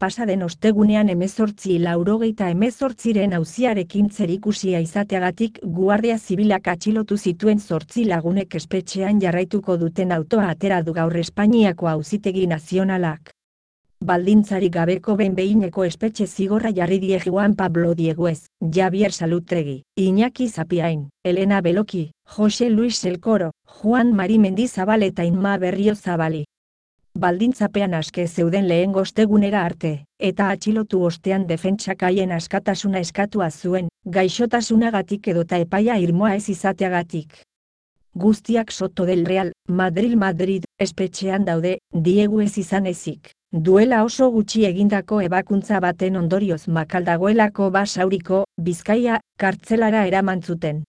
pasaden ostegunean 1888ren auziarekin zerikusia izateagatik Guardia Zibilak atxilotu zituen 8 lagunek espetxean jarraituko duten autoa atera du gaur Espainiako Auzitegi Nazionalak. Baldintzarik gabeko behin-behineko espetxe zigorra jarri die Juan Pablo Dieguez, Javier Salutregi, Iñaki Zapiain, Elena Beloki, Jose Luis Elkoro, Juan Mari Mendizabal eta Inma Berriozabali. Baldintzapean aske zeuden lehengo ostegunera arte, eta atxilotu ostean defentsak haien askatasuna eskatua zuen, gaixotasunagatik edota epaia irmoa ez izateagatik. Guztiak Soto del Real, Madrid, espetxean daude, Diegu ez izan ezik. Duela oso gutxi egindako ebakuntza baten ondorioz makal dagoelako Basauriko, Bizkaia, kartzelara eraman zuten.